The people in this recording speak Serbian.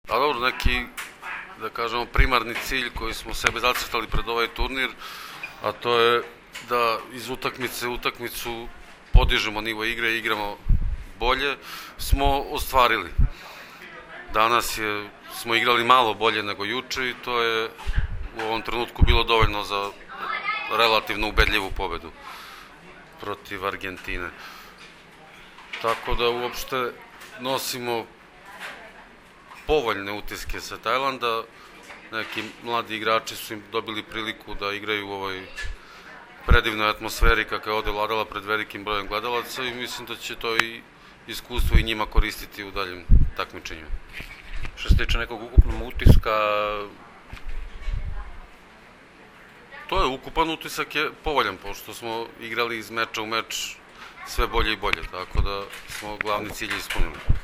A dobro, neki, da kažemo, primarni cilj koji smo sebe zacrtali pred ovaj turnir, a to je da iz utakmice u utakmicu podižemo nivo igre i igramo bolje, smo ostvarili. Danas smo igrali malo bolje nego juče i to je u ovom trenutku bilo dovoljno za relativno ubedljivu pobedu protiv Argentine. Tako da uopšte nosimo povoljne utiske sa Tajlanda. Neki mladi igrači su im dobili priliku da igraju u ovoj predivnoj atmosferi kakva je ovde vladala pred velikim brojem gledalaca i mislim da će to i iskustvo i njima koristiti u daljim takmičenjima. Što se tiče nekog ukupnog utiska, to je ukupan utisak je povoljan, pošto smo igrali iz meča u meč sve bolje i bolje, tako da smo glavni cilj ispunili.